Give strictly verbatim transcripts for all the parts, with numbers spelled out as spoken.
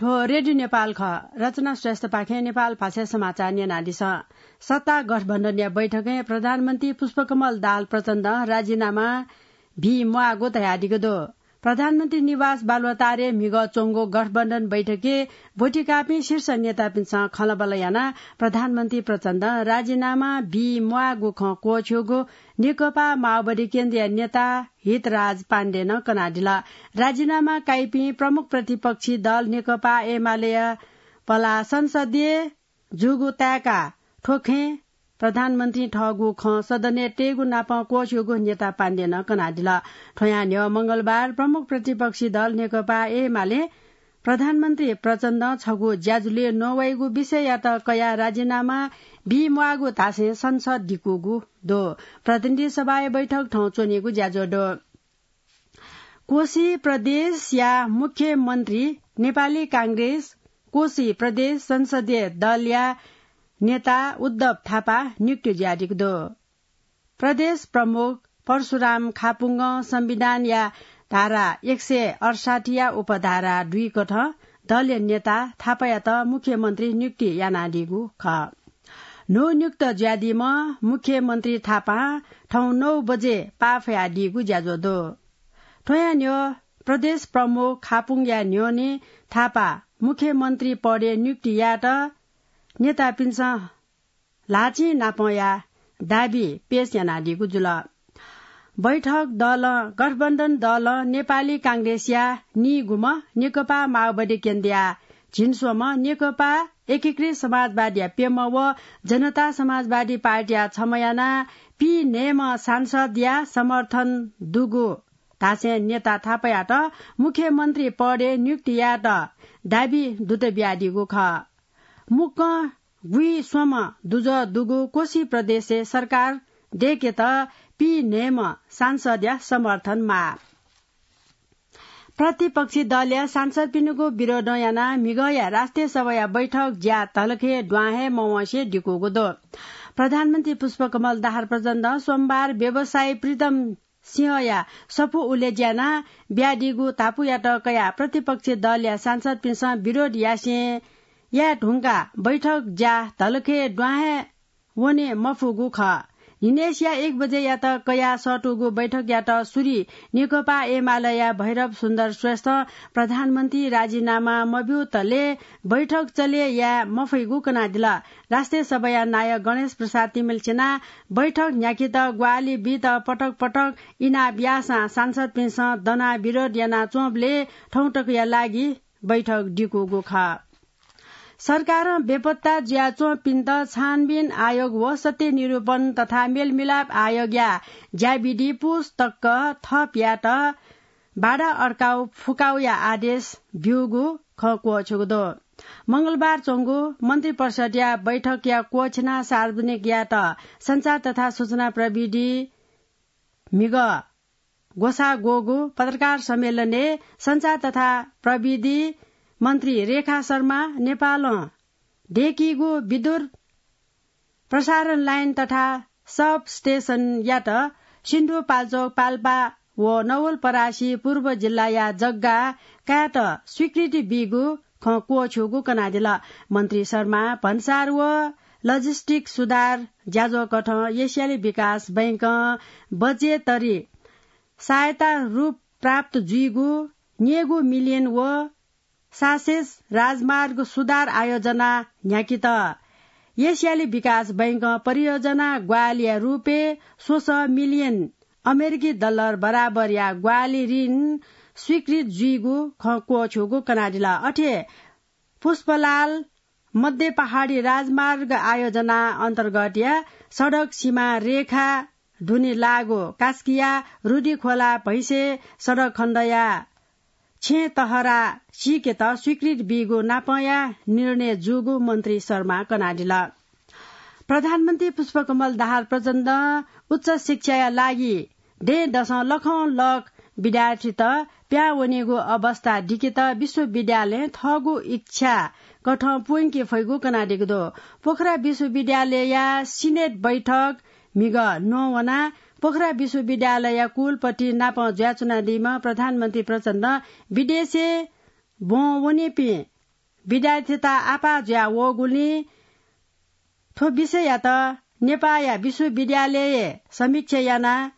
हो रेडियो नेपाल खः। रचना श्रेष्ठपाखें नेपाल भाषा समाचार न्यनादिसँ। सत्ता गठबन्धनया बैठकय् प्रधानमन्त्री पुष्पकमल दाहाल प्रचण्डं राजीनामा बी म्वाःगु धयादिगु दु। प्रधानमन्त्री निवास बालुवाटारय् म्हिगः च्वंगु गठबन्धन बैठकय् ब्वति काःपिं शीर्ष नेतापिन्सं खँल्हाबल्हा यानाः प्रधानमन्त्री प्रचण्डं राजीनामा बी म्वाःगु खँ क्वःछ्यूगु नेकपा माओवादी केन्द्रीय नेता हितराज पाण्डेनं कनादिल। राजीनामा काइपिं प्रमुख प्रतिपक्षी दल नेकपा एमालेया पलाः संसदीय जूगु ताय्‌काः थ्व खँय् प्रधानमन्त्रीं थःगु खँ सदनय् तयेगु नापं क्वःछ्यूगु नेता पाण्डेनं कनादिल। थ्वयां न्ह्यः मंगलबार प्रमुख प्रतिपक्षी दल नेकपा एमालें प्रधानमन्त्री प्रचण्डं छगू ज्याझ्वलय् नवाइगु विषययात कयाः राजीनामा बी म्वाःगु धासें संसद दिकूगु दु। प्रतिनिधि सभाया बैठक थौं च्वनीगु ज्याझ्वः दु। कोशी प्रदेशया मुख्यमन्त्री नेपाली कांग्रेस कोशी प्रदेश संसदीय दलया नेता उद्धव थापा नियुक्त जुयादीगु दु। प्रदेश प्रमुख परशुराम खापुङ्गं संविधानया धारा एक सय अठसट्ठीया उपधारा दुई कथं दलया नेता थापायात मुख्यमन्त्री नियुक्ति यानादीगु खः। न्हून्युक्त जुयादीम्ह मुख्यमन्त्री थापां थौं नौ बजे पाफयादीगु ज्याझ्वः दु। थ्वयां न्ह्यः प्रदेश प्रमुख खापुङ्गया न्ह्यःने थापा मुख्यमन्त्री पदय् नियुक्ति यायेत नेतापिन्सं ल्हाःचिं नापंया दाबी पेश यानादीगु जुल। बैठक दलं गठबन्धन दलं नेपाली कांग्रेसया नीगुम्ह, नेकपा माओवादी केन्द्रया झिंस्वम्ह, नेकपा एकीकृत समाजवादीया प्यम्ह व जनता समाजवादी पार्टीया छम्ह यानाः पीन्हय्म्ह सांसदया समर्थन दुगु धासें नेता थापायात मुख्यमन्त्री पदय् नियुक्ति यायेत दाबी दुत बियादीगु खः। मुक्कं गुइस्वम्ह दुजः दुगु कोशी प्रदेशय् सरकार दय्केत पीन्हय्म्ह सांसदया समर्थन माः। प्रतिपक्षी दलया सांसदपिनिगु विरोधं यानाः म्हिगःया राष्ट्रिय सभाया बैठक ज्या धलखय् द्वां हे मवंसे दिकूगु दु। प्रधानमन्त्री पुष्पकमल दाहाल प्रचण्डं सोमबार व्यवसायी प्रीतम सिंहया सफू उलेज्यानाः बियादीगु धापूयात कयाः प्रतिपक्षी दलया सांसदपिन्सं विरोध यासें याये धुंकाः बैठक ज्या धलखय् द्वां हे वने मफुगु खः। न्हिनय्सिया एक बजेयात कयाः सःतूगु बैठकयात सुरु नेकपा एमालेया भैरव सुन्दर श्रेष्ठं प्रधानमन्त्री राजीनामा मब्यूतले बैठक चले याये मफइगु कनादिल। राष्ट्रिय सभाया नायः गणेश प्रसाद तिमिल्सिनां बैठक न्ह्याकेत ग्वाहालि बीत पटक पटक इनाप याःसां सांसदपिन्सं दनाः विरोध यानाच्वंबलय् थौंतकया लागि बैठक दिकूगु खः। सरकारं बेपत्ता जुयाच्वंपिन्त छानबिन आयोग व सत्य निरूपण तथा मेलमिलाप आयोगया ज्याविधि पुस तक थप यायेत बाधा अड्काउ फुकाउया आदेश ब्यूगु खँ क्वःछ्यूगु दु। मंगलबार च्वंगु मन्त्रिपरिषद्या बैठकया क्वःछिनाः सार्वजनिक यायेत सञ्चार तथा सूचना प्रविधि म्हिगः ग्वसाः ग्वःगु पत्रकार सम्मेलनय् सञ्चार तथा प्रविधि मन्त्री रेखा शर्मा नेपालं दय्कीगु विद्युत प्रसारण लाइन तथा सब स्टेशनयात सिन्धुपाल्चोक, पाल्पा व नवलपरासी पूर्व जिल्लाया जग्गा कायेत स्वीकृति बीगु खँ क्वःछ्यूगु कनादिल। मन्त्री शर्मा भन्सार व लजिस्टिक सुधार ज्याझ्वःकथं एसियाली विकास बैंकं बजेटरी सहायता रूप प्राप्त जुइगु न्येगू मिलियन व सासेस राजमार्ग सुधार आयोजना न्ह्याकेत एसियाली विकास बैंकं परियोजना ग्वाहालिया रूपय् स्वसः मिलियन अमेरिकी डलर बराबरया ग्वाहालि ऋण स्वीकृत जुइगु खँ क्वःछ्यूगु कनादिल। अथे पुष्पलाल मध्य पहाडी राजमार्ग आयोजना अन्तर्गतया सडक सीमा रेखा दुने लाःगु कास्कीया रुदिखोला भैंसे सडक खण्डया छेँ तहरा सीकेत स्वीकृति बीगु नापंया निर्णय जूगु मन्त्री शर्मा कनादिल। प्रधानमन्त्री पुष्पकमल दाहाल प्रचण्डं उच्च शिक्षाया लागि दँय्‌दसं लखं लख विद्यार्थीत पिहां वनीगु अवस्था दिकेत विश्वविद्यालयं थःगु इच्छा कथं प्वंके फइगु कनादीगु दु। पोखरा विश्वविद्यालयया सिनेट बैठक म्हिगः नवानाः पोखरा विश्वविद्यालयया कुलपति नाप जुयाच्वनादीम्ह प्रधानमन्त्री प्रचण्डं विदेशय् ब्वं वनीपिं विद्यार्थीत आपाः जुया वःगुलिं थ्व विषययात नेपाःया विश्वविद्यालयय् समीक्षा यानाः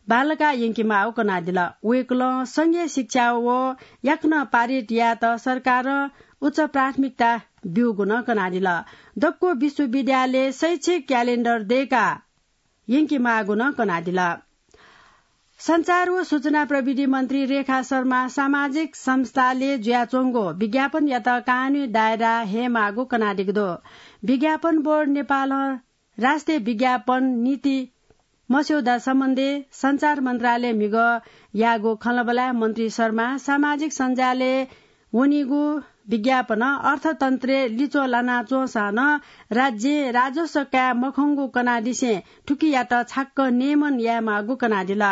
बांलाका यंकेमाःगु कनादिल। वय्कलं संघीय शिक्षा व याकनं पारित यायेत सरकारं उच्च प्राथमिकता ब्यूगु नं कनादिल। दक्व विश्वविद्यालय शैक्षिक क्यालेण्डर दय्काः यंकेमाःगु नं कनादिल। सञ्चार व सूचना प्रविधि मन्त्री रेखा शर्मा सामाजिक संस्थाले जुयाच्वंगु विज्ञापनयात कानूनी दायरा हयेमाःगु कनादीगु दु। विज्ञापन बोर्ड नेपालं राष्ट्रिय विज्ञापन नीति मस्यौदा सम्बन्धी सञ्चार मन्त्रालय म्हिगः याःगु खँल्हाबल्हाय् मन्त्री शर्मा सामाजिक सञ्जालय् वनीगु विज्ञापनं अर्थतन्त्रय् लिच्वः लानाच्वंसां नं राज्यं राजस्व काये मखंगु कनादिसें थुकियात छाक्क नियमन यायेमाःगु कनादिल।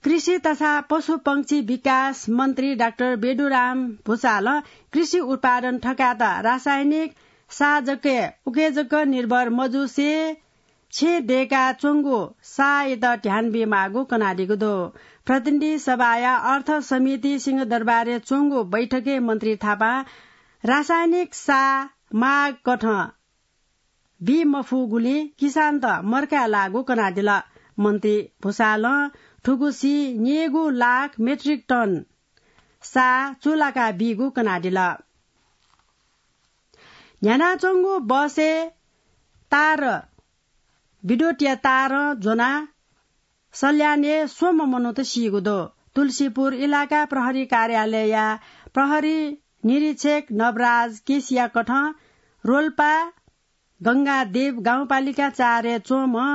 कृषि तथा पशुपंक्षी विकास मन्त्री डाक्टर बेदुराम भुसालं कृषि उत्पादन थकायेत रासायनिक साः जक उके जक निर्भर मजुसे छेँ दय्काच्वंगु साःयात ध्यान बीमाःगु कनादीगु दु। प्रतिनिधि सभाया अर्थ समिति सिंहदरबारय् च्वंगु बैठकय् मन्त्री थापां रासायनिक साः मागकथं बी मफुगुलिं किसानत मर्काय् लाःगु कनादिल। मन्त्री भुसालं थुगुसी न्यय्गू लाख मेट्रिक टन साः चूलाका बीगु कनादिल। न्ह्यानाच्वंगु बसय् तार, विद्युतया तारं ज्वनाः सल्यानय् स्वम्ह मनूत सीगु दु। तुलसीपुर इलाका प्रहरी कार्यालयया प्रहरी निरीक्षक नवराज केसीया कथं रोल्पा गंगादेव गाउँपालिका चारय् च्वंम्ह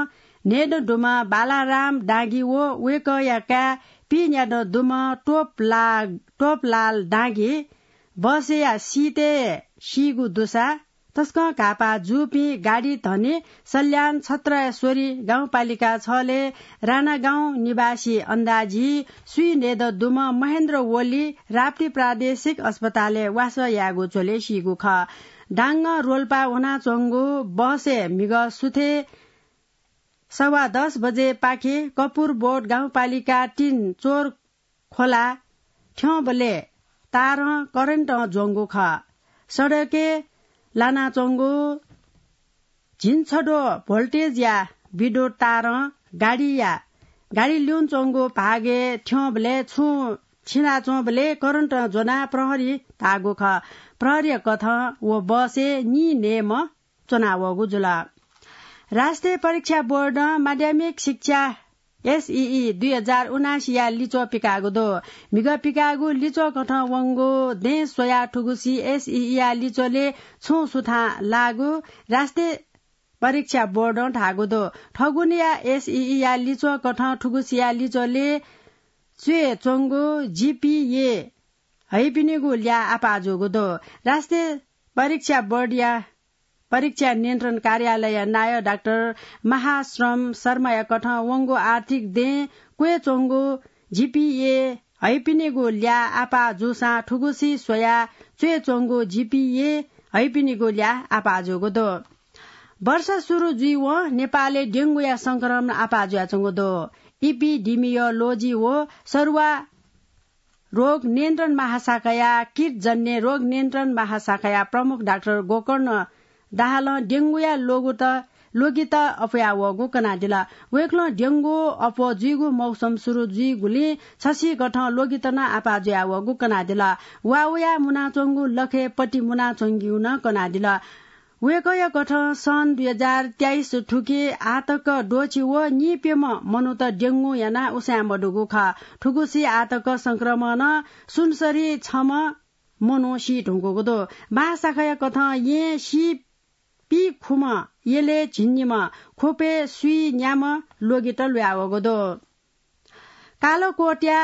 न्हय्दँ दुम्ह बालाराम डाँगी व वय्कःया काय् पीन्यादँ दुम्ह टोपला-, टोपलाल डाँगी बसया सिटय् सीगु दुसा तसकं घाःपाः जूपिं गाडी धनी सल्यान छत्रेश्वरी गाउँपालिका छलय् रानागाउँ निवासी अन्दाजी स्वीन्हय्दँ दुम्ह महेन्द्र ओली राप्ती प्रादेशिक अस्पतालय् वासः यायेगु झ्वलय् सीगु खः। डाँगं रोल्पा वनाच्वंगु बसय् म्हिगः सुथय् सवा दस बजेपाखे कपुरबोट गाउँपालिका तीन चोर खोला थ्यंबलय् तारं करेन्टं ज्वंगु खः। सडकय् लानाच्वंगु झिंछद्वः भोल्टेजया विद्युत तारं गाडीया, गाडी ल्यूनाच्वंगु भागय् थ्यंबलय् छुं छिनाच्वंबलय् करेन्टं ज्वनाः प्रहरी धाःगु खः। प्रहरीया कथं व बसय् नीन्हय्म्ह च्वनावःगु जुल। राष्ट्रिय परीक्षा बोर्डं माध्यमिक शिक्षा एसईई दुई हजार उनासीया लिच्वः पिकाःगु दु। म्हिगः पिकाःगु लिच्वः कथं वंगु दँय् स्वयाः थुगुसी एसईईया लिच्वलय् छुं सुथां लाःगु राष्ट्रिय परीक्षा बोर्डं धाःगु दु। थगुनिया एसईईया लिच्वः कथं थुगुसिया लिच्वलय् च्वय् च्वंगु जीपीए हइपिनिगु ल्याः आपाः जूगु दु। राष्ट्रिय परीक्षा बोर्डया परीक्षा नियन्त्रण कार्यालयया नायः डाक्टर महाश्रम शर्माया कथं वंगु आर्थिक दँय् क्वय् च्वंगु जीपीए हइपिनिगु ल्याः आपाः जूसां थुगुसी स्वयाः च्वय् च्वंगु जीपीए हइपिनिगु ल्याः आपाः जूगु दु। वर्ष सुरु जुइवं नेपालय् डेंगूया संक्रमण आपाः जुयाच्वंगु दु। इपिडिमियोलोजी व सरुवा रोग नियन्त्रण महाशाखाया कीटजन्य रोग नियन्त्रण महाशाखाया प्रमुख डाक्टर गोकर्ण दाहालं डेंगूया लोगुत, लोगित अप्वया वःगु कनादिल। वय्कलं डेंगू अप्वः जुइगु मौसम सुरु जुइगुलिं छसिकथं लोगित नं आपाः जुया वःगु कनादिल। वा वया मुनाच्वंगु लखय् पति मुनाच्वंगु नं कनादिल। वय्कःया कथं सन् दुई हजार तेइस थुके आःतक द्वःछि व नीप्यम्ह मनूत डेंगू यानाः उसाँय् मदुगु खः। थुगुसी आःतक संक्रमणं सुनसरी छम्ह मनू सी धुंकूगु दु। महाशाखाया कथं येँ सी पीखुम्ह यलय् झिंनिम्ह, ख्वपय् स्वीन्याम्ह लोगित ल्वयावःगु दु। कालोकोटया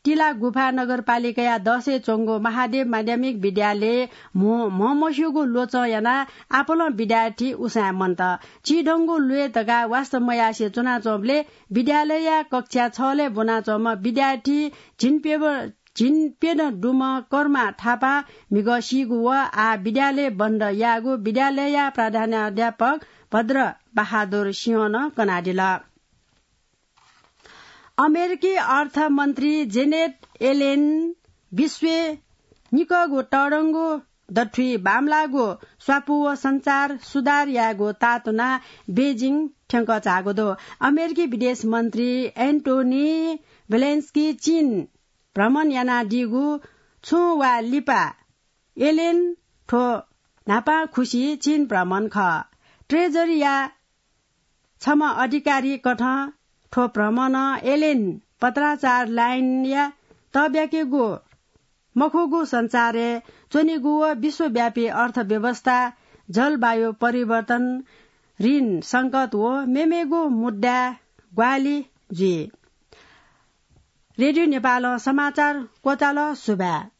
तिला गुफा नगरपालिकाया दसय् च्वंगु महादेव माध्यमिक विद्यालय म्ह-, म्हमस्यूगु ल्वचं यानाः आपालं विद्यार्थी उसाँय् मन्त। चिधंगु ल्वय् धकाः वास्ता मयासें च्वनाच्वंबलय् विद्यालयया कक्षा छलय् ब्वनाच्वंम्ह विद्यार्थी झिंप्यब-, झिंप्यदँ दुम्ह कर्मा थापा म्हिगः सीगु व आः विद्यालय बन्द याःगु विद्यालयया प्रधानाध्यापक भद्र बहादुर सिंहं कनादिल। अमेरिकी अर्थमन्त्री जेनेट येलेन विश्वय् निकःगु तःधंगु दथुइ बांमलाःगु स्वापू व संचार सुधार यायेगु तातुना बेजिङ थ्यंक झाःगु दु। अमेरिकी विदेश मन्त्री एन्टोनी ब्लेन्स्की चीन भ्रमण यानादीगु छुं वा लिपा एलेन थ्व न्हापां खुसी चीन भ्रमण खः। ट्रेजरीया छम्ह अधिकारी कथं थ्व भ्रमणं एलेन पत्राचार लाइनया तब्याकेगु मखुगु संचारय् च्वनीगु व विश्वव्यापी अर्थव्यवस्था, जलवायु परिवर्तन, ऋण संकट व मेमेगु मुद्दाय् ग्वाहालि जुइ। रेडियो नेपालं समाचार क्वचाल। सुभाय्।